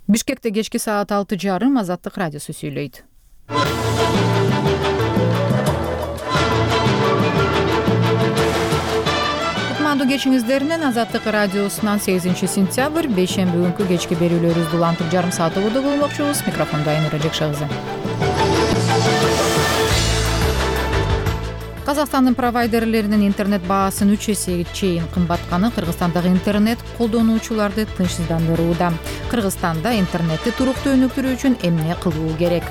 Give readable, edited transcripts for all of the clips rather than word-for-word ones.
Бишкекте кечки саат 6:30 Азаттык радиосу сүйлөйт. Кутмандуу кечиңиздер менен Азаттык радиосунан 8-сентябрь бейшемби күнкү кечки берүүлөрүбүздү улантып жарым саат убада болмокчубуз. Микрофондо Айнура Жекшагызы. Казакстандын провайдерлеринин интернет баасын 3 эсеге чейин кымбатканы Кыргызстандагы интернет колдонуучуларды тынчсыздандырууда. Кыргызстанда интернетти туруктуу өнүктүрүү үчүн эмне кылуу керек?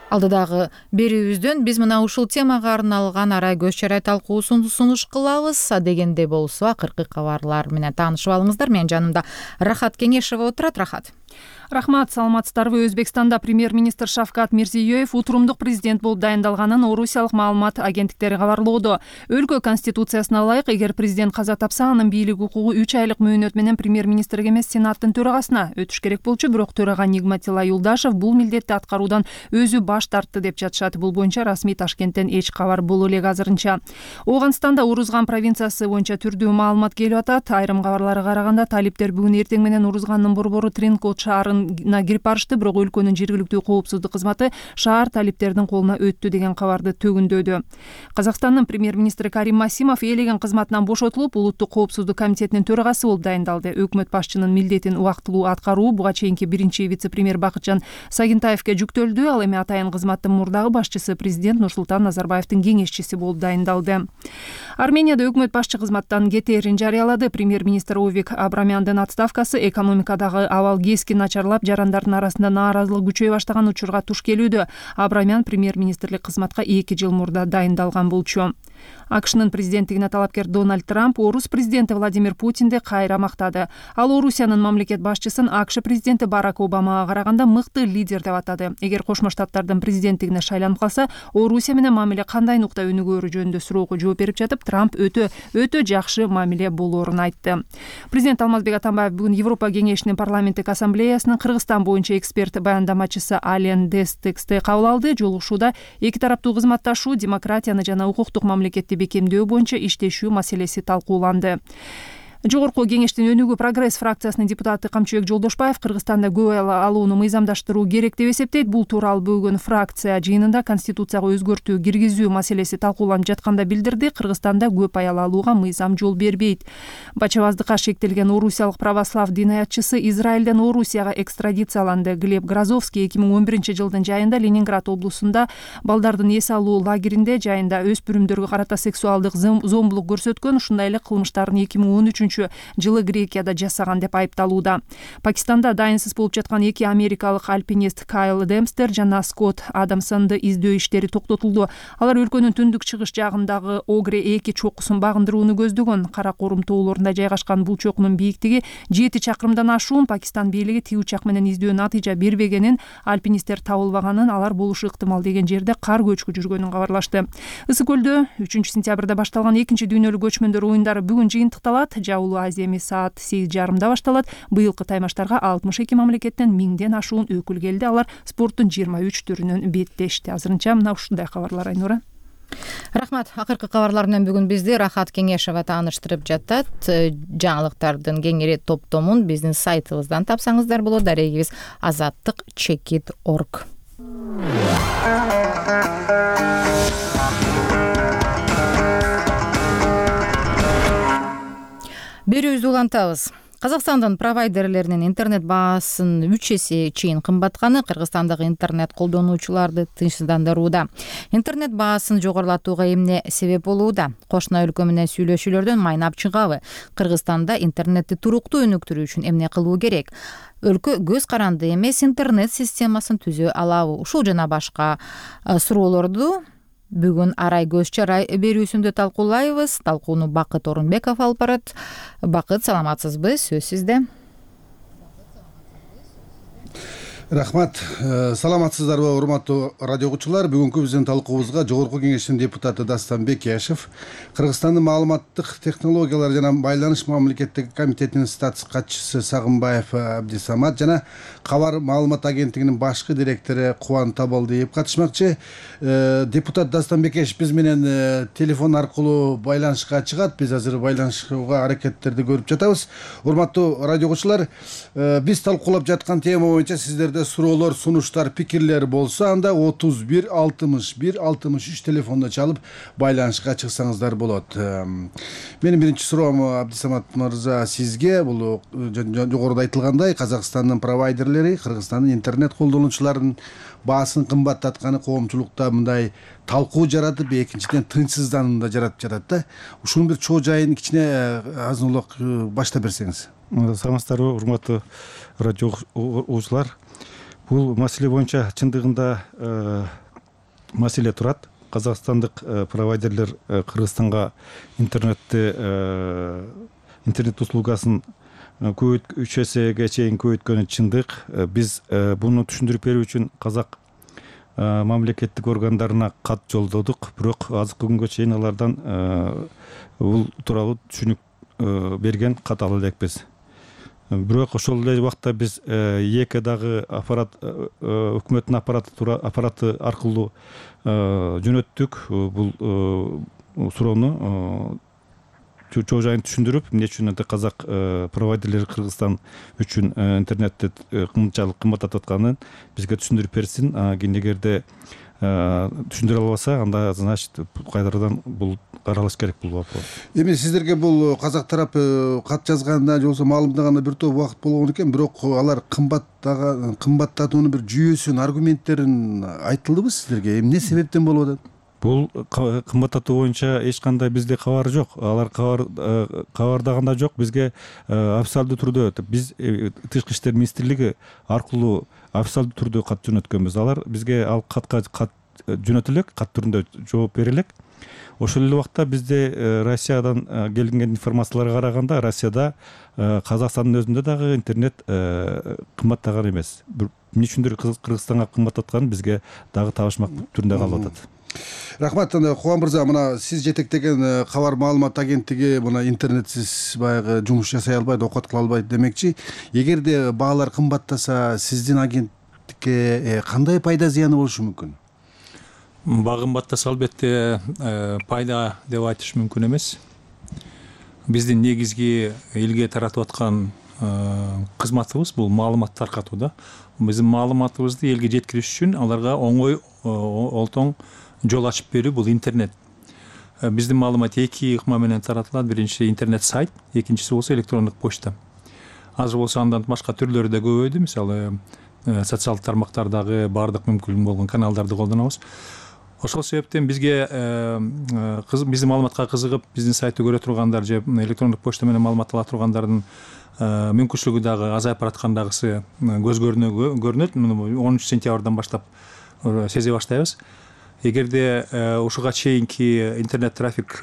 Алдыдагы берүүбүздөн биз мына ушул темага арналган арай көз чарай талкуусун сунуш кылабыз. Дегенде болсо акыркы кабарлар менен таанышып алыңыздар. Менин жанымда Рахат Кеңешова отурат. Рахат. Рахмат, саламатсыздарбы? Өзбекстанда премьер-министр Шавкат Мирзиёев утурумдук президент болуп дайындалганын орусиялык маалымат агенттиктери кабарлоодо. Өлкө конституциясына ылайык, эгер президент каза тапса, анын бийлик укугу 3 айлык мөөнөт менен премьер-министрге эмес, сенаттын төрагасына өтүш керек болчу. Бирок төрага Нигматилла Юлдашев бул милдетти аткаруудан өзү баш тартты деп жатышат. Бул боюнча расмий Ташкенттен эч кабар боло элек азырынча. Оогандстанда Урузган провинциясы боюнча түрдүү маалымат келип атат. Айрым кабарларга караганда талиптер бүгүн эртең менен Урузгандын борбору Тринкот шаарына кирип барышты, бирок өлкөнүн жергиликтүү коопсуздук кызматы шаар талиптердин колуна өттү деген кабарды төгүндөдү. Казакстандын премьер-министри Карим Масимов элеген кызматынан бошотулуп, улуттук коопсуздук комитетинин төрагасы болуп дайындалды. Өкмөт башчынын милдетин убактылуу аткаруу буга чейинки биринчи вице-премьер Бакытжан Сагентаевке жүктөлдү. Ал эми атайын кызматтын мурдагы башчысы президент Нурсултан Назарбаевдин кеңешчиси болуп дайындалды. Арменияда өкмөт башчы кызматтан кетээрин жарыялады. Премьер-министр Овик Абрамяндын отставкасы экономикадагы абал кескин начарлап, жарандардын арасында нааразылык күчөй баштаган учурга туш келүүдө. Абрамян премьер-министрлик кызматка 2 жыл мурда дайындалган болчу. АКШнын президенттигине талапкер Дональд Трамп орус президенти Владимир Путинди кайра мактады. Ал Орусиянын мамлекет башчысын АКШ президенти Барак Обамага караганда мыкты лидер деп атады. Эгер Кошмо Штаттардын президенттигине шайланып калса, Орусия менен мамиле кандай нукта өнүгөөрү жөнүндө суроого жооп берип жатып, Трамп өтө жакшы мамиле болоорун айтты. Президент Алмазбек Атамбаев бүгүн Европа кеңешинин парламенттик ассамблеясынын Кыргызстан боюнча эксперт баяндамачысы Ален Дестексти кабыл алды. Жолугушууда эки тараптуу кызматташуу, демократияны жана укуктук мамлекетти бекемдөө боюнча иштешүү маселеси талкууланды. Жогорку кеңештин өнүгүү прогресс фракциясынын депутаты Камчыбек Жолдошбаев Кыргызстанда көп алууну мыйзамдаштыруу керек деп эсептейт. Бул тууралуу бүгүн фракция жыйынында конституцияга өзгөртүү киргизүү маселеси талкууланып жатканда билдирди. Кыргызстанда көп аял алууга мыйзам жол бербейт. Бачабаздыкка шектелген орусиялык православ дин аятчысы Израилден Орусияга экстрадицияланды. Глеб Грозовский 2011 жылдын жайында Ленинград облусунда балдардын эс алуу лагеринде жайында өспүрүмдөргө карата сексуалдык зомбулук көрсөткөн, ушундай эле кылмыштарын 2013 жылы Грекияда жасаган деп айыпталууда. Пакистанда дайынсыз болуп жаткан 2 америкалык альпинист Кайл Демстер жана Скотт Адамсонду издөө иштери токтотулду. Алар өлкөнүн түндүк-чыгыш жагындагы Огре-2 чокусун багындырууну көздөгөн. Каракорум тоолорунда жайгашкан бул чокунун бийиктиги 7 чакырымдан ашуун. Пакистан бийлиги тие учак менен издөө натыйжа бербегенин, альпинисттер табылбаганын, алар болушу ыктымал деген жерде кар көчкү жүргөнүн кабарлашты. Ысык көлдө 3-сентябрда башталган 2 дүйнөлүк көчмөндөр оюндары бүгүн жыйынтыкталат. Азиями саат 8:30 башталат. Быйылкы таймаштарга 62 мамлекеттен 1000ден ашуун өкүл келди. Алар спорттун 23 түрүнөн беттешти. Азырынча мына ушундай кабарлар, Айнура. Рахмат. Акыркы кабарлар менен бүгүн бизди Рахат Кеңешова тааныштырып жатат. Жаңылыктардын кеңири топтомун биздин сайтыбыздан тапсаңыздар болот. Дарегибиз azattik.org. Берүүбүздү улантабыз. Казакстандын провайдерлеринин интернет баасын 3 эсе чейин кымбатканы Кыргызстандагы интернет колдонуучуларды тынчсыздандырууда. Интернет баасын жогорулатууга эмне себеп болууда? Кошуна өлкө менен сүйлөшүүлөрдөн майнап чыгабы? Кыргызстанда интернетти туруктуу өнүктүрүү үчүн эмне кылуу керек? Өлкө көз каранды эмес интернет системасын түзө алабы? Ушул жана башка суроолорду бүгүн арай көз чарай берүүсүндө талкуулайбыз. Талкууну Бакыт Орунбеков алып барат. Бакыт, саламатсызбы? Сөз сизде. Рахмат. Саламатсыздарбы, урматтуу радио угуучулар. Бүгүнкү биздин талкуубузга Жогорку Кеңештин депутаты Дастанбек Кияшев, Кыргызстандын маалыматтык технологиялар жана байланыш мамлекеттик комитетинин статс катчысы Сагынбаев Абдисамат жана Кабар маалымат агенттигинин башкы директору Кубан Табалдиев катышмакчы. Депутат Дастанбек Кияшев биз менен телефон аркылуу байланышка чыгат. Биз азыр байланышууга аракеттерди көрүп жатабыз. Урматтуу радио угуучулар, биз талкуулап жаткан тема боюнча сиздерде суроолор, сунуштар, пикирлер болсо, анда 31 61 63 телефонду чалып байланышка чыксаңыздар болот. Менин биринчи суроом Абдисамат мырза сизге. Бул жогоруда айтылгандай, Казакстандын провайдерлери Кыргызстандын интернет колдонуучуларынын баасын кымбаттатканы коомчулукта мындай талкуу жаратып, экинчиден тынчсызданууну да жаратып жатат да. Ушунун бир чоо жайын кичине азын улак баштап берсеңиз. Саламатсыздарбы, урматтуу радио угуучулар. Бул маселе боюнча чындыгында маселе турат. Казакстандык провайдерлер Кыргызстанга интернет услугасын 3 эсеге чейин көбөйткөнү чындык. Биз буну түшүндүрүп берүү үчүн казак мамлекеттик органдарына кат жолдодук, бирок азыркы күнгө чейин алардан бул тууралуу түшүнүк берген кат ала элекпиз. Бирок ошол эле убакта биз эки дагы өкмөттүн аппараты аркылуу жөнөттүк бул суроону чоо жайын түшүндүрүп, эмне үчүн казак провайдерлер Кыргызстан үчүн интернетти кымчалык кымбаттатып атканын бизге түшүндүрүп берсин. Эгерде түшүндүрө албаса, анда значит кайрадан бул каралыш керек болот. Эми сиздерге бул казак тарапы кат жазганда же болбосо маалымдаганда бир топ убакыт болгон экен, бирок алар кымбаттатуунун бир жүйөсүн, аргументтерин айтылдыбы сиздерге? Эмне себептен болуп атат? Бул кымбаттатуу боюнча эч кандай бизде кабар жок. Алар кабардаганда жок. Бизге официалдуу түрдө биз Тышкы иштер министрлиги аркылуу официалдуу түрдө кат жөнөткөнбүз. Алар бизге ал кат жөнөтүлөк, кат түрүндө жооп берилек. Ошол эле убакта бизде Россиядан келген информацияларга караганда, Россияда Казакстандын өзүндө дагы интернет кымбаттаган эмес. Эмне үчүндүр Кыргызстанга кымбаттатканы бизге дагы табышмак түрүндө калып атат. Рахмат. Кубан мырза, мына сиз жетектеген Кабар маалымат агенттиги мына интернетсиз баягы жумуш жасай албайт, окат кыла албайт демекчи. Эгерде баалар кымбаттаса, сиздин агенттикке кандай пайда зыяны болушу мүмкүн? Баа кымбаттаса, албетте пайда деп айтыш мүмкүн эмес. Биздин негизги элге таратып аткан кызматыбыз бул маалымат таркатуу да. Биздин маалыматыбызды элге жеткириш үчүн аларга оңой, олтоң жол ачып берүү бул интернет. Биздин маалымат эки ыкма менен таратылат. Биринчиси интернет сайт, экинчиси болсо электрондук почта. Азыр болсо андан башка түрлөрү да көбөйдү. Мисалы, социалдык тармактардагы баардык мүмкүн болгон каналдарды колдонобуз. Ошол себептен бизге биздин маалыматка кызыгып, биздин сайтты көрө тургандар же электрондук почта менен маалымат ала тургандардын мүмкүнчүлүгү дагы азайып бараткандагысы көз көрүнөт. 10 сентябрдан баштап сезе баштайбыз. Эгерде ушуга чейинки интернет трафик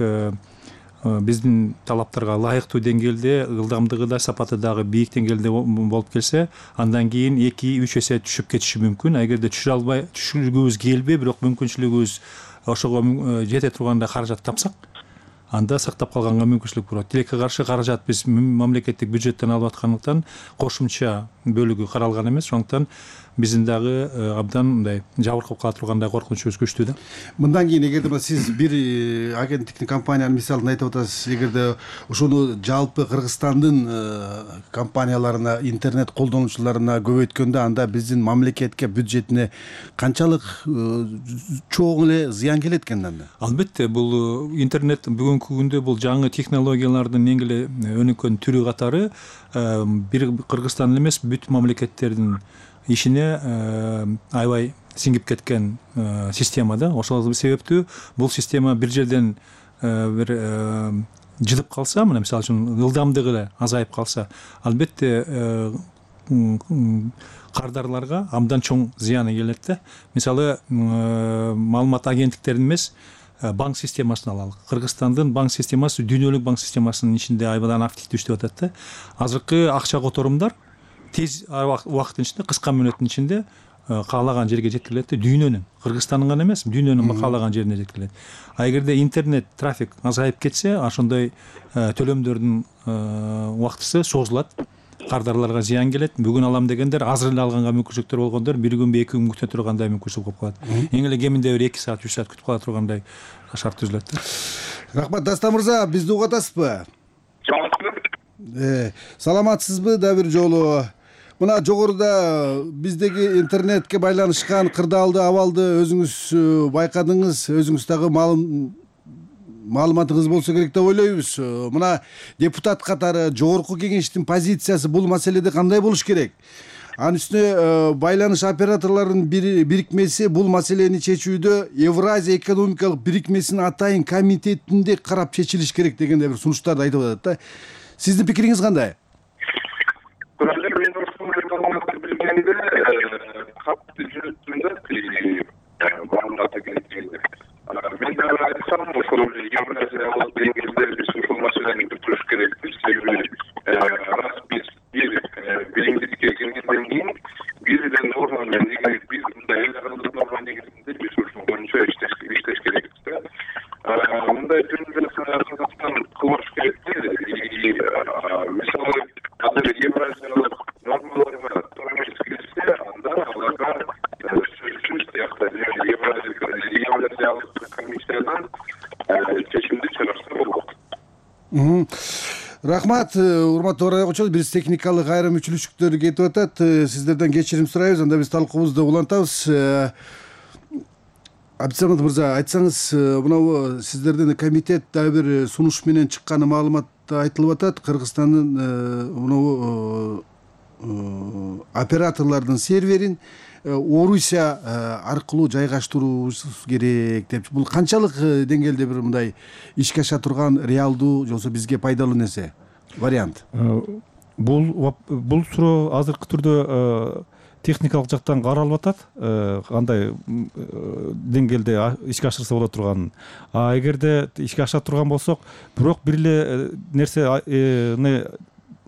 биздин талаптарга ылайыктуу деңгээлде, ылдамдыгы да, сапаты дагы бийик деңгээлде болуп келсе, андан кийин 2-3 эсе түшүп кетиши мүмкүн. Эгерде түшүргүбүз келбей, бирок мүмкүнчүлүгүбүз ошого жете турганда каражат тапсак, анда сактап калганга мүмкүнчүлүк болот. Тилекке каршы каражат биз мамлекеттик бюджеттен алып аткандыктан кошумча бөлүгү каралган эмес. Ошондуктан биздин дагы абдан мындай жабыркап кала тургандай коркунучубуз күчтүү да. Мындан кийин эгерде сиз бир агенттиктин компаниянын мисалын айтып атасыз, эгерде ошону жалпы Кыргызстандын компанияларына, интернет колдонуучуларына көбөйткөндө, анда биздин мамлекетке, бюджетине канчалык чоң эле зыян келет экен анда? Албетте, бул интернет бүгүнкү күндө бул жаңы технологиялардын эң эле өнүккөн түрү катары бир Кыргызстан эмес, бүт мамлекеттердин ишине аябай сиңип кеткен система да. Ошол себептүү бул система бир жерден бир жыдып калса, мына мисалы үчүн ылдамдыгы азайып калса, албетте кардарларга абдан чоң зыяны келет да. Мисалы, маалымат агенттиктерин эмес, банк системасын алалы. Кыргызстандын банк системасы дүйнөлүк банк системасынын ичинде абдан активдүү иштеп атат да. Азыркы акча которумдар тез убакыттын ичинде, кыска мүнөттүн ичинде каалаган жерге жеткирилет да, дүйнөнүн, Кыргызстандын гана эмес, дүйнөнүн каалаган жерине жеткирилет. А эгерде интернет трафик азайып кетсе, ошондой төлөмдөрдүн убактысы созулат, кардарларга зыян келет. Бүгүн алам дегендер азыр эле алганга мүмкүнчүлүктөр болгондор 1 күн, 2 күн күтө тургандай мүмкүнчүлүк болуп калат. Эң эле кеминде 2 саат, 3 саат күтүп кала тургандай шарт түзүлөт да. Рахмат, Дастан мырза, бизди угуп атасызбы? Саламатсызбы да бир жолу? Мына жогоруда биздеги интернетке байланышкан кырдаалды абалды өзүңүз байкадыңыз, өзүңүз дагы маалыматыңыз болсо керек деп ойлойбуз. Мына депутат катары жогорку кеңештин позициясы бул маселеде кандай болуш керек? Анын үстүнө байланыш операторлорунун бирикмеси бул маселени чечүүдө Евразия экономикалык бирикмесинин атайын комитетинде карап чечилиш керек дегендей бир сунуштарды айтып атат да. Сиздин пикириңиз кандай? Билгенде катты жүрүттүмдө маалымат агенттигинде мен дагы айтсам, ошол Евразиялык деңгээлде биз ушул маселени бүтүрүш керекпиз. Себеби раз биз бир биримдикке киргенден кийин бирден норма менен биз мындай эл аралык норма негизинде биз ушул боюнча иштеш керекпиз да. Мындай жөнүндө Казакстан кылыш керек. Мисалы азыр Евразиялык нормаларга туура келсе, анда аларга сөзсүз тиякта Евразиялык комиссиядан чечимди чыгарса болот. Рахмат, урматтуу радио угуучулар, биз техникалык айрым мүчүлүштүктөр кетип атат. Сиздерден кечирим сурайбыз, анда биз талкуубузду улантабыз. Абдисамат мырза, айтсаңыз, мынау сиздердин комитет дагы бир сунуш менен чыкканы маалыматта айтылып атат. Кыргызстандын мынау операторлордун серверин Орусия аркылуу жайгаштыруубуз керек деп. Бул канчалык деңгээлде бир мындай ишке аша турган реалдуу же болбосо бизге пайдалуу нерсе, вариант? Бул суроо азыркы түрдө техникалык жактан каралып атат, кандай деңгээлде ишке ашырса боло турганын. А эгерде ишке аша турган болсок, бирок бир эле нерсени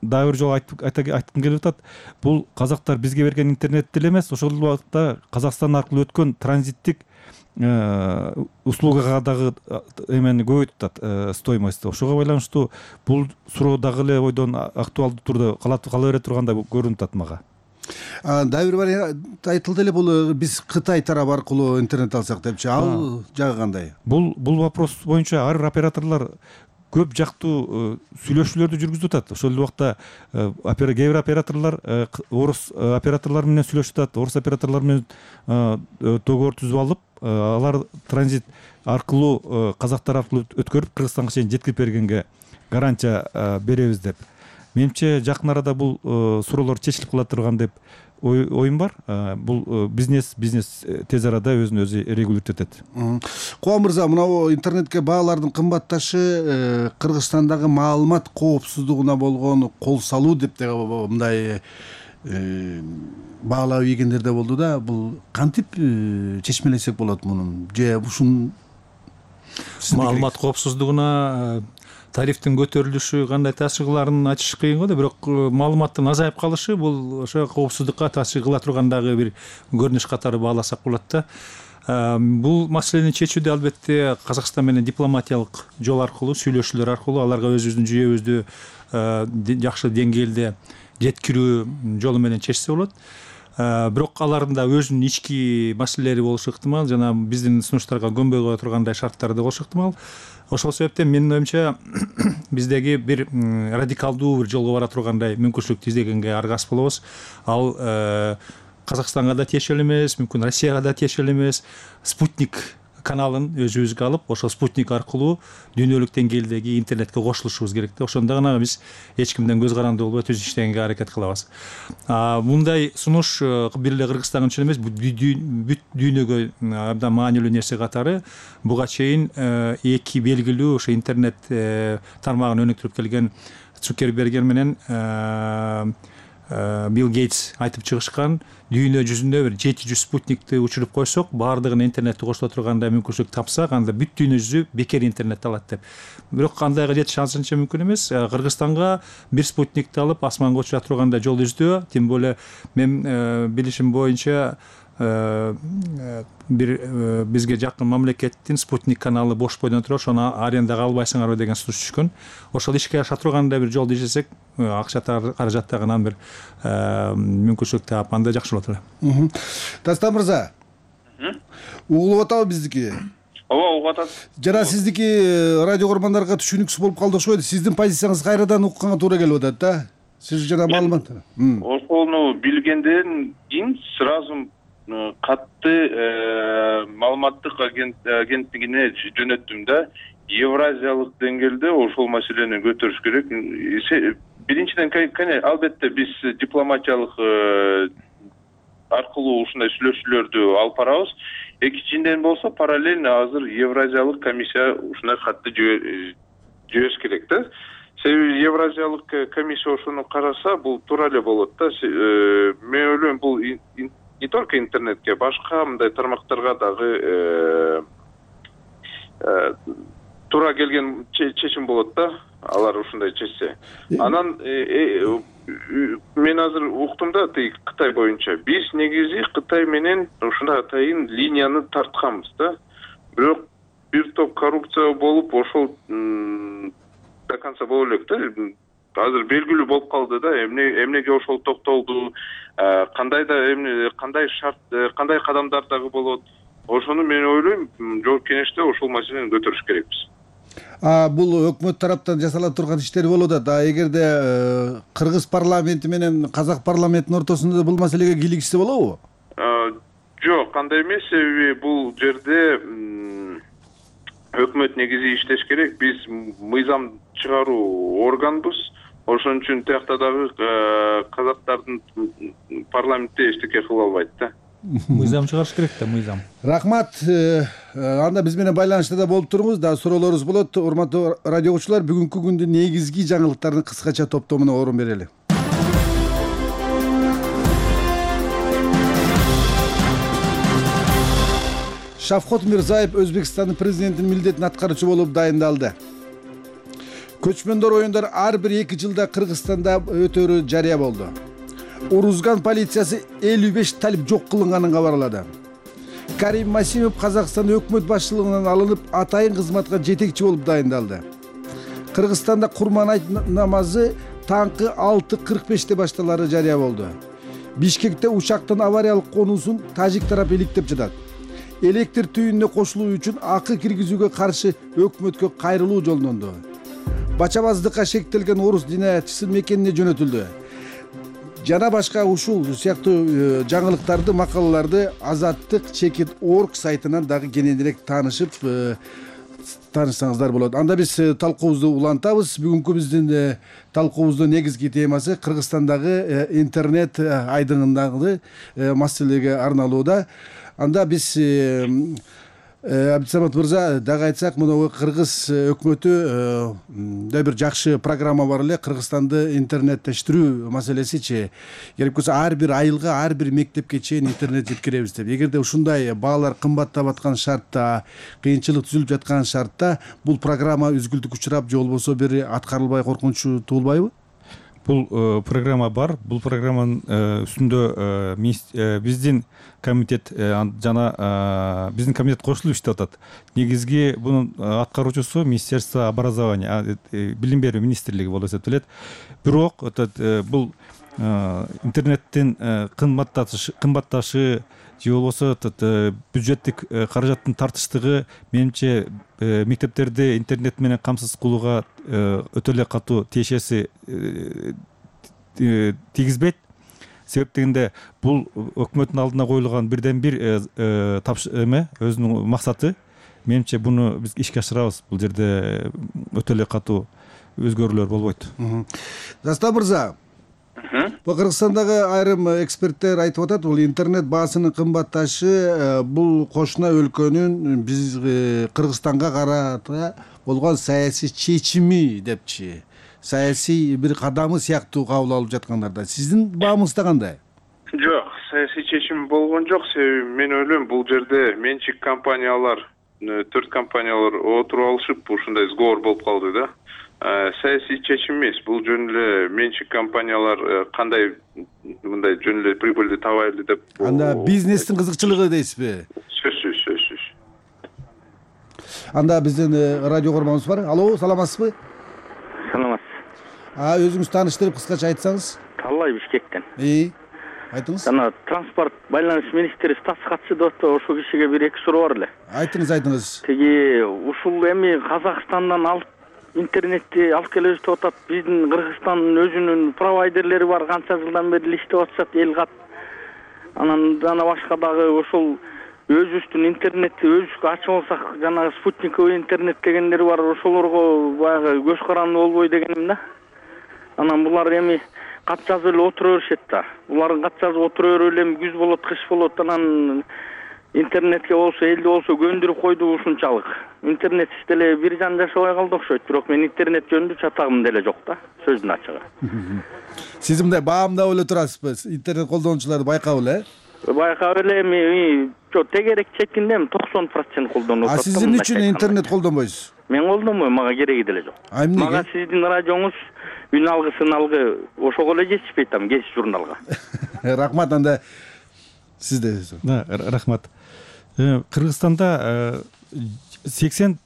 дагы бир жолу айткым келип атат. Бул казактар бизге берген интернет деле эмес, ошол убакытта Казакстан аркылуу өткөн транзиттик услугага дагы эмени көбөйтүп атат, стоимосту. Ошого байланыштуу бул суроо дагы эле бойдон актуалдуу турда кала бере тургандай көрүнүп атат мага. Дагы бир вариант айтылды эле, бул биз Кытай тарабы аркылуу интернет алсак депчи. Ал жагы кандай? Бул вопрос боюнча ар бир операторлор көп жактуу сүйлөшүүлөрдү жүргүзүп атат. Ошол убакта кээ бир операторлор орус операторлор менен сүйлөшүп атат, орус операторлор менен договор түзүп алып, алар транзит аркылуу казактар аркылуу өткөрүп Кыргызстанга чейин жеткирип бергенге гарантия беребиз деп. Менимче жакын арада бул суроолор чечилип кала турган деп оюм бар. Бул бизнес тез арада өзүн өзү регулировать этет. Куан мырза, мына интернетке баалардын кымбатташы Кыргызстандагы маалымат коопсуздугуна болгон кол салуу деп мындай баалап ийгендер да болду да. Бул кантип чечмелесек болот мунун? Же ушун маалымат коопсуздугуна тарифтин көтөрүлүшү кандай таасир кыларын айтыш кыйын го да, бирок маалыматтын азайып калышы бул ошо коопсуздукка таасир кыла турган дагы бир көрүнүш катары бааласак болот да. Бул маселени чечүүдө албетте Казакстан менен дипломатиялык жол аркылуу, сүйлөшүүлөр аркылуу аларга өзүбүздүн жүйөбүздү жакшы деңгээлде жеткирүү жолу менен чечсе болот. Бирок алардын да өзүнүн ички маселелери болушу ыктымал, жана биздин сунуштарга көнбөй кала тургандай шарттары да болушу ыктымал. Ошол себептен менин оюмча биздеги бир радикалдуу бир жолго бара тургандай мүмкүнчүлүктү издегенге аргасыз болобуз. Ал Казакстанга да тиешелүү эмес, мүмкүн Россияга да тиешелүү эмес. Спутник каналын өзүбүзгө алып, ошол спутник аркылуу дүйнөлүк деңгээлдеги интернетке кошулушубуз керек да. Ошондо гана биз эч кимден көз каранды болбой түз иштегенге аракет кылабыз. Мындай сунуш бир эле Кыргызстан үчүн эмес, бүт дүйнөгө абдан маанилүү нерсе катары. Буга чейин эки белгилүү ошо интернет тармагын өнүктүрүп келген Цукерберг менен Билл Гейтс айтып чыгышкан, дүйнө жүзүндө бир 700 спутникти учуруп койсок, баардыгын интернетти кошуло турганда мүмкүнчүлүк тапсак, анда бүт дүйнө жүзү бекер интернетти алат деп. Бирок кандайга жетиш азырынча мүмкүн эмес. Кыргызстанга бир спутникти алып асманга учура турганда жол издөө, тем более мен билишим боюнча бир бизге жакын мамлекеттин спутник каналы бош бойдон туруп, ошону арендага албайсыңарбы деген сунуш түшкөн. Ошол ишке аша турганда бир жолду издесек, акча каражаттагынан бир мүмкүнчүлүк таап, анда жакшы болот эле. Дастан мырза, угулуп атабы биздики? ооба, угуп атат. Жана сиздики радио көрөрмандарга түшүнүксүз болуп калды окшойт. Сиздин позицияңыз кайрадан укканга туура келип атат да. Сиз жана маалымат. Ошону билгенден кийин сразу катты маалыматтык агенттигине жөнөттүм да. Евразиялык деңгээлде ошол маселени көтөрүш керек. Биринчиден, албетте биз дипломатиялык аркылуу ушундай сүйлөшүүлөрдү алып барабыз. Экинчиден болсо, параллельно азыр Евразиялык комиссия ушундай катты жибериш керек да. Себеби Евразиялык комиссия ошону караса, бул туура эле болот да. Мен ойлойм, бул не только интернетке, башка мындай тармактарга дагы туура келген чечим болот да, алар ушундай чечсе. Анан мен азыр уктум да, Кытай боюнча биз негизи Кытай менен ушундай атайын линияны тартканбыз да. Бирок бир топ коррупция болуп, ошол до конца боло элек да. Азыр белгилүү болуп калды да, эмнеге ошол токтолду, кандай шарт, кандай кадамдар дагы болот. Ошону мен ойлойм, жогорку кеңеште ошол маселени көтөрүш керекпиз. Бул өкмөт тараптан жасала турган иштер болуп атат. Эгерде кыргыз парламенти менен казак парламентинин ортосунда бул маселеге кийлигишсе болобу? Жок, кандай эмес, себеби бул жерде өкмөт негизи иштеш керек. Биз мыйзам чыгаруу органбыз. Ошон үчүн тиякта дагы казактардын парламентте эчтеке кыла албайт да. Мыйзам чыгарыш керек да, мыйзам. Рахмат. Анда биз менен байланышта да болуп туруңуз. Да суроолорубуз болот. Урматтуу радио угуучулар, бүгүнкү күндүн негизги жаңылыктарын кыскача топтомуна орун берели. Шавкат Мирзиёев Өзбекстандын президентинин милдетин аткаруучу болуп дайындалды. Көчмөндөр оюндар ар бир 2 жылда Кыргызстанда өтөрү жарыя болду. Урузган полициясы 55 талип жок кылынганын кабарлады. Карим Масимов Казакстан өкмөт башчылыгынан алынып, атайын кызматка жетекчи болуп дайындалды. Кыргызстанда Курман айт намазы таңкы 6:45 башталары жарыя болду. Бишкекте учактын авариялык конуусун тажик тарапы иликтеп жатат. Электр түйүнүнө кошулуу үчүн акы киргизүүгө каршы өкмөткө кайрылуу жолдонду. Бачабаздыкка шектелген орус динаятчысы мекенине жөнөтүлдү. Жана башка ушул сыяктуу жаңылыктарды, макалаларды Азаттык Чекит.org сайтынан дагы кененирээк таанышсаңыздар болот. Анда биз талкуубузду улантабыз. Бүгүнкү биздин талкуубуздун негизги темасы Кыргызстандагы интернет айдыңындагы маселеге арналууда. Анда биз Абдисамат мырза дагы айтсак, мына кыргыз өкмөтү да бир жакшы программа бар эле. Кыргызстанды интернеттештирүү маселесичи. Керек болсо ар бир айылга, ар бир мектепке чейин интернет жеткиребиз деп. Эгерде ушундай баалар кымбаттап аткан шартта, кыйынчылык түзүлүп жаткан шартта бул программа үзгүлтүккө учурап, же болбосо бир аткарылбай коркунучу туулбайбы? Бул программа бар. Бул программанын үстүндө биздин комитет жана биздин комитет кошулуп иштеп атат. Негизги бунун аткаруучусу Министерство образования, билим берүү министрлиги болуп эсептелет. Бирок бул интернеттин кымбатташы же болбосо бюджеттик каражаттын тартыштыгы менимче мектептерди интернет менен камсыз кылууга өтө эле катуу тиешеси тийгизбейт. Себеп дегенде бул өкмөттүн алдына коюлган бирден бир өзүнүн максаты. Менимче буну биз ишке ашырабыз. Бул жерде өтө эле катуу өзгөрүүлөр болбойт. Дастан мырза, Кыргызстандагы айрым эксперттер айтып атат, бул интернет баасынын кымбатташы бул кошуна өлкөнүн биз Кыргызстанга карата болгон саясий чечими депчи. саясий бир кадамы сыяктуу кабыл алып жаткандарда сиздин баамыңызда кандай? Жок, саясий чечим болгон жок. Себеби мен ойлойм бул жерде менчик компаниялар, 4 компаниялар отуруп алышып ушундай сговор болуп калды да. Саясий чечим эмес. Бул жөн эле менчик компаниялар кандай мындай жөн эле прибыльди табайлы деп. Анда бизнестин кызыкчылыгы дейсизби? Сөзсүз. Анда биздин радио көрмөбүз бар. Алло, саламатсызбы? Саламатсыз. Өзүңүз тааныштырып кыскача айтсаңыз. Таллай Бишкектен. Айтыңыз. Жана транспорт байланыш министри Стас катчы деп атты, ошол кишиге бир эки суроо бар эле. Айтыңыз. Тиги ушул эми Казакстандан алып интернетти алып келебиз деп атат. Биздин Кыргызстандын өзүнүн провайдерлери бар, канча жылдан бери иштеп атышат, Элгат. Анан жана башка дагы ошол өзүбүздүн интернетти өзүбүзгө ачып алсак, жана спутниковый интернет дегендер бар, ошолорго баягы көз каранды болбой дегеним да. Анан булар эми кат жазып эле отура беришет да. Булардын кат жазып отура берип эле күз болот, кыш болот, анан интернетке болсо, элди болсо көндүрүп койду ушунчалык. Интернетсиз деле бир жан жашабай калды окшойт, бирок мен интернет жөнүндө чатагым деле жок да, сөздүн ачыгы. Сиз мындай баамдап эле турасызбы? Интернет колдонуучуларды байкап эле? Байкап эле эми тегерек чекинде 90% колдонуп атат. Сиздин үчүн интернет колдонбойсуз? Мен колдонбойм, мага кереги деле жок. Мага сиздин радионуз үн алгы, сыналгы ошого эле жетишпейт там, кез журналга. Рахмат, анда сизде. Рахмат. Кыргызстанда 80%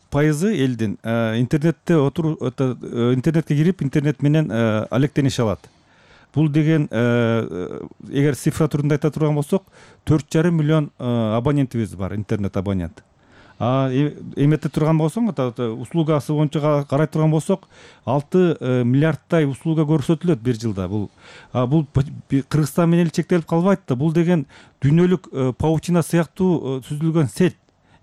элдин интернетке кирип, интернет менен алектенише алат. Бул деген эгер цифра түрүндө айта турган болсок, 4,5 миллион абонентибиз бар, интернет абонент. Эмете турган болсоң, услугасы боюнча карай турган болсок, 6 миллиардтай услуга көрсөтүлөт бир жылда. Бул Кыргызстан менен эле чектелип калбайт да. Бул деген дүйнөлүк паутина сыяктуу түзүлгөн сет.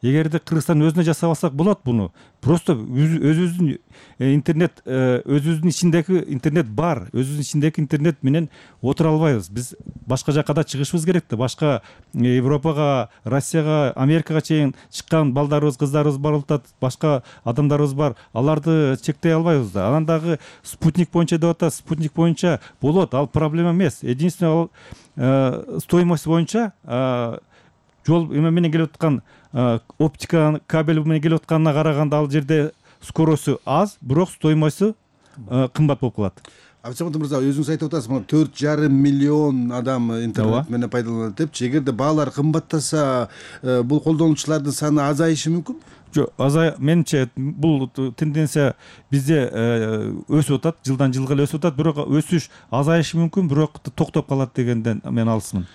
Эгерде Кыргызстан өзүнө жасап алсак болот буну. Просто өзүбүздүн интернет, өзүбүздүн ичиндеги интернет бар. Өзүбүздүн ичиндеги интернет менен отура албайбыз. Биз башка жака да чыгышыбыз керек да. Башка Европага, Россияга, Америкага чейин чыккан балдарыбыз, кыздарыбыз бар болот, башка адамдарыбыз бар. Аларды чектей албайбыз да. Анан дагы спутник боюнча деп атат, спутник боюнча болот, ал проблема эмес. Единственное, стоимость боюнча жол эме менен келип аткан оптика кабель менен келип атканына караганда ал жерде скоросту аз, бирок стоимосту кымбат болуп калат. Абсамат мырза, өзүңүз айтып атасыз, 4,5 миллион адам интернет менен пайдаланат депчи. Эгерде баалар кымбаттаса, бул колдонуучулардын саны азайышы мүмкүн? Жок, менимче бул тенденция бизде өсүп атат, жылдан жылга эле өсүп атат, бирок өсүш азайышы мүмкүн, бирок токтоп калат дегенден мен алысмын.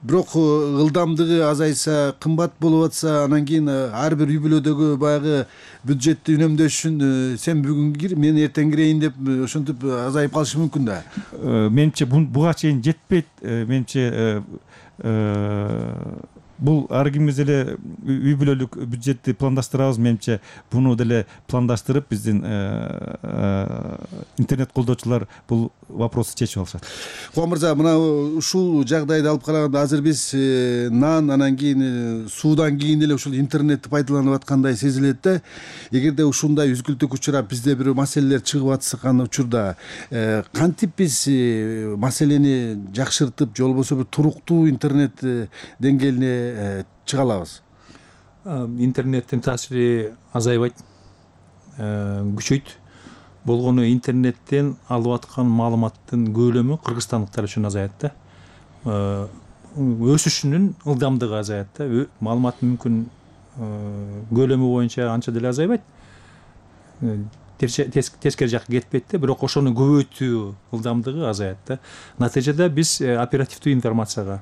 Бирок ылдамдыгы азайса, кымбат болуп атса, анан кийин ар бир үй бүлөдөгү баягы бюджетти үнөмдөш үчүн сен бүгүн кир, мен эртең кирейин деп ошентип азайып калышы мүмкүн да. Менимче буга чейин жетпейт. Менимче бул ар кимибиз эле үй бүлөлүк бюджетти пландаштырабыз. Менимче буну деле пландаштырып биздин интернет колдоочулар бул вопросту чечип алышат. Кубан мырза, мына ушул жагдайды алып караганда азыр биз нан, анан кийин суудан кийин эле ушул интернетти пайдаланып аткандай сезилет да. Эгерде ушундай үзгүлтүк учурап бизде бир маселелер чыгып атышкан учурда кантип биз маселени жакшыртып, же болбосо бир туруктуу интернет деңгээлине чыга алабыз? Интернеттин таасири азайбайт, күчөйт. Болгону интернеттен алып аткан маалыматтын көлөмү кыргызстандыктар үчүн азаят да. Өсүшүнүн ылдамдыгы азаят да. Маалыматтын мүмкүн көлөмү боюнча анча деле азайбайт. Тескери жакка кетпейт да, бирок ошону көбөйтүү ылдамдыгы азаят да. Натыйжада биз оперативдүү информацияга,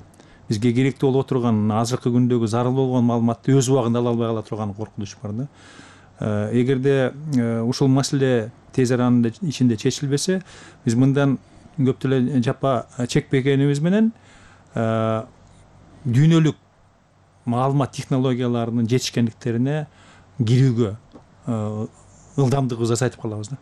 бизге керектүү болуп отурган азыркы күндөгү зарыл болгон маалыматты өз убагында ала албай кала турган коркунуч бар да. Эгерде ушул маселе тез аранын ичинде чечилбесе, биз мындан көп деле жапа чекпегенибиз менен дүйнөлүк маалымат технологияларынын жетишкендиктерине кирүүгө ылдамдыгыбызды азайтып калабыз да.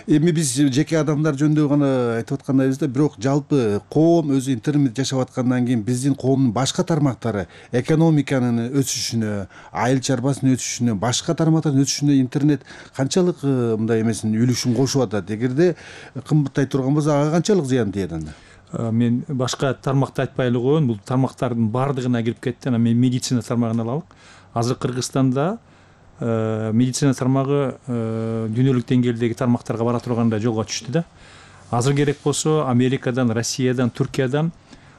Эми биз жеке адамдар жөнүндө гана айтып аткандайбыз да, бирок жалпы коом өзү интернет жашап аткандан кийин биздин коомдун башка тармактары экономиканын өсүшүнө, айыл чарбасынын өсүшүнө, башка тармактардын өсүшүнө интернет канчалык мындай эмесин үлүшүн кошуп атат? Эгерде кымбаттай турган болсо ага канчалык зыян тиет анда? Мен башка тармакты айтпай эле коеюн, бул тармактардын баардыгына кирип кетти. Анан мен медицина тармагын алалык. Азыр Кыргызстанда медицина тармагы дүйнөлүк деңгээлдеги тармактарга бара турганда жолго түштү да. Азыр керек болсо Америкадан, Россиядан, Түркиядан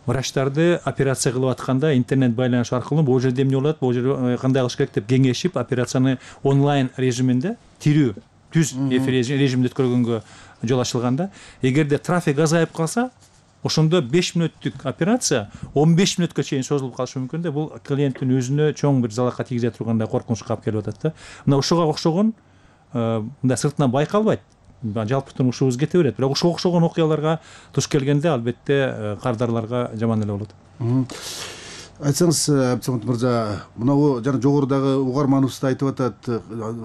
врачтарды операция кылып атканда интернет байланыш аркылуу бул жерде эмне болот, бул жерде кандай кылыш керек деп кеңешип, операцияны онлайн режиминде, тирүү түз эфир режиминде өткөргөнгө жол ачылганда, эгерде трафик азайып калса, ошондо 5 мүнөттүк операция 15 мүнөткө чейин созулуп калышы мүмкүн да. Бул клиенттин өзүнө чоң бир залалга тийгизе тургандай коркунучка алып келип атат да. Мына ошого окшогон мындай сыртынан байкалбайт, жалпы турмушубуз кете берет. Бирок ошого окшогон окуяларга туш келгенде албетте кардарларга жаман эле болот. Айтсаңыз, Абдисамат мырза, мынабу жана жогорудагы угарманыбыз да айтып атат,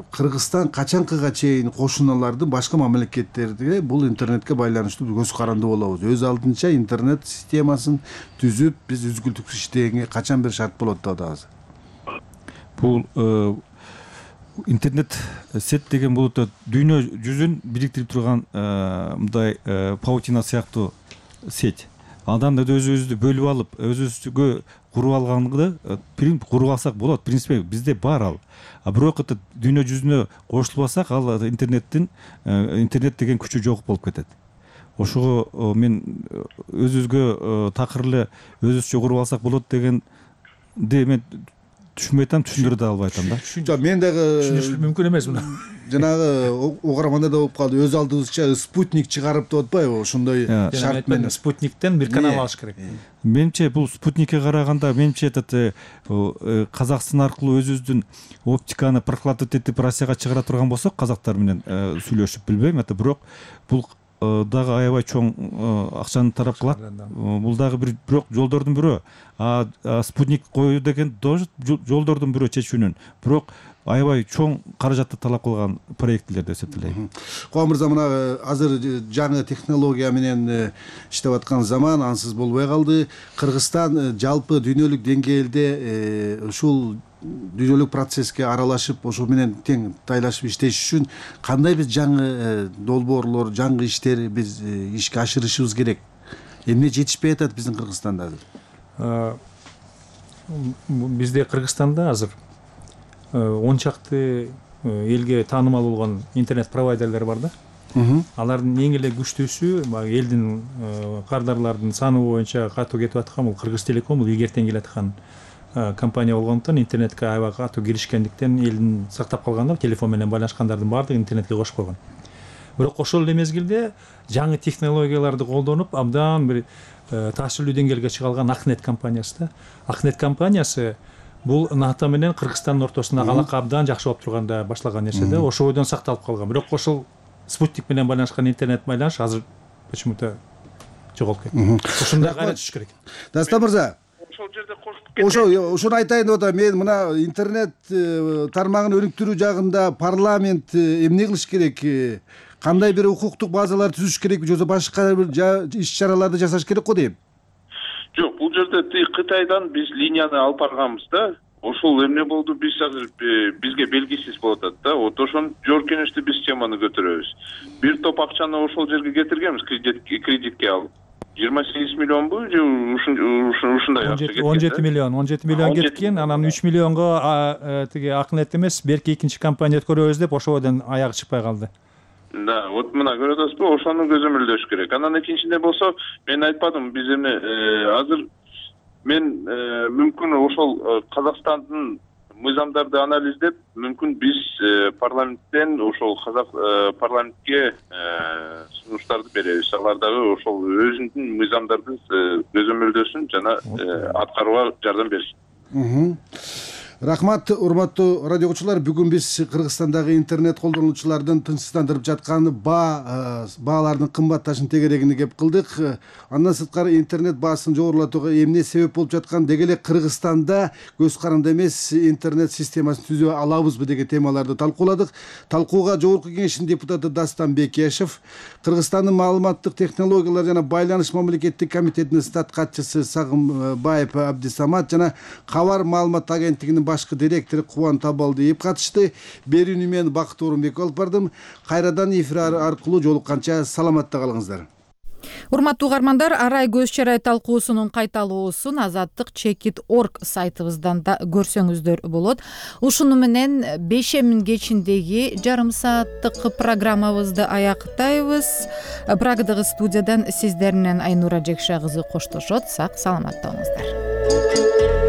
Кыргызстан качанкыга чейин кошуналардын башка мамлекеттерге бул интернетке байланыштуу көз каранды болобуз? Өз алдынча интернет системасын түзүп, биз үзгүлтүксүз иштегенге качан бир шарт болот деп атабыз? Бул интернет сет деген бул дүйнө жүзүн бириктирип турган мындай паутина сыяктуу сеть. Андан өзүбүздү бөлүп алып, өзүбүзгө куруп алганды куруп алсак болот. Принципе бизде бар ал. Бирок дүйнө жүзүнө кошулуп алсак, ал интернет деген күчү жок болуп кетет. Ошого мен өзүбүзгө такыр эле өзүбүзчө куруп алсак болот дегенди мен түшүнбөй атам, түшүндүрө да албай атам да. Мен дагы Түшүнүш мүмкүн эмес муну. Жанагы угарманда да болуп калды. Өз алдыбызча спутник чыгарып деп атпайбы? Ошондой шарт менен спутниктен бир канал алыш керек. Менимче бул спутникке караганда менимче Казакстан аркылуу өзүбүздүн оптиканы прокладывать этип Россияга чыгара турган болсок, казактар менен сүйлөшүп билбейм, бирок бул дагы аябай чоң акчаны тарап кылат. Бул дагы бирок жолдордун бирөө. Спутник коюу деген тоже жолдордун бирөө чечүүнүн. Бирок аябай чоң каражатты талап кылган проектлер деп эсептейм. Коом мырза, мына азыр жаңы технология менен иштеп аткан заман ансыз болбой калды. Кыргызстан жалпы дүйнөлүк деңгээлде ушул дүйнөлүк процесске аралашып, ошол менен тең тайлашып иштеш үчүн кандай биз жаңы долбоорлор, жаңы иштер биз ишке ашырышыбыз керек? Эмне жетишпей атат биздин Кыргызстанда азыр? Бизде Кыргызстанда азыр 10 чакты элге таанымал болгон интернет провайдерлер бар да. Алардын эң эле күчтүүсү элдин кардарлардын саны боюнча катуу кетип аткан бул Кыргыз Телеком, бул илгертен келе аткан компания болгондуктан интернетке аябай катуу киришкендиктен элдин сактап калганда телефон менен байланышкандардын баардыгын интернетке кошуп койгон. Бирок ошол эле мезгилде жаңы технологияларды колдонуп абдан бир таасирлүү деңгээлге чыга алган Акнет компаниясы да. Акнет компаниясы бул НАТО менен Кыргызстандын ортосундагы алака абдан жакшы болуп турганда башлаган нерсе да. Ошол бойдон сакталып калган. Бирок ошол спутник менен байланышкан интернет байланыш азыр почему-то жоголуп кетти. Ошондой кайра түшүш керек. Даста мырза, ошол жерде кошуп ошону айтайын деп атам. Мен мына интернет тармагын өнүктүрүү жагында парламент эмне кылыш керек? Кандай бир укуктук базалар түзүш керек же башка бир иш-чараларды жасаш керек го дейм. Жок, бул жерде Кытайдан биз линияны алып барганбыз да. Ошол эмне болду, биз азыр бизге белгисиз болуп атат да. Вот ошону жооркенечти биз теманы көтөрөбүз. Бир топ акчаны ошол жерге кетиргенбиз, кредитке алып. 28 миллионбу же ушундай акча кеткен. 17 миллион кеткен. Анан 3 миллионго тиги Акнет эмес, берки экинчи компания өткөрөбүз деп ошодон аягы чыкпай калды. Да, вот мына көрүп атасызбы, ошону көзөмөлдөш керек. Анан экинчиде болсо, мен айтпадым, биз эми азыр мен мүмкүн ошол Казакстандын мыйзамдарды анализдеп, мүмкүн биз парламенттен ошол казак парламентке сунуштарды беребиз. Алар дагы ошол өзүнүн мыйзамдарды көзөмөлдөсүн жана аткарууга жардам берсин. Рахмат, урматтуу радио угуучулар. Бүгүн биз Кыргызстандагы интернет колдонуучулардын тынчсыздандырып жаткан баалардын кымбатташын тегерегине кеп кылдык. Андан сырткары интернет баасын жогорулатууга эмне себеп болуп жаткан, деги эле Кыргызстанда көз каранды эмес интернет системасын түзө алабызбы деген темаларды талкууладык. Талкууга Жогорку Кеңештин депутаты Дастан Бекешев, Кыргызстандын маалыматтык технологиялар жана байланыш мамлекеттик комитетинин стат катчысы Сагынбаев Абдисамат жана Кабар маалымат агенттигинин башкы директору Кубан Табалдиев катышты. Берүүнү мен Бакыт Орунбеков алып бардым. Кайрадан эфир аркылуу жолукканча саламатта калыңыздар. Урматтуу угармандар, арай көз чарай талкуусунун кайталоосун azattik.org сайтыбыздан да көрсөңүздөр болот. Ушуну менен бешемин кечиндеги жарым сааттык программабызды аяктайбыз. Прагадагы студиядан сиздер менен Айнура Жекша кызы коштошот. Сак саламатта болуңуздар.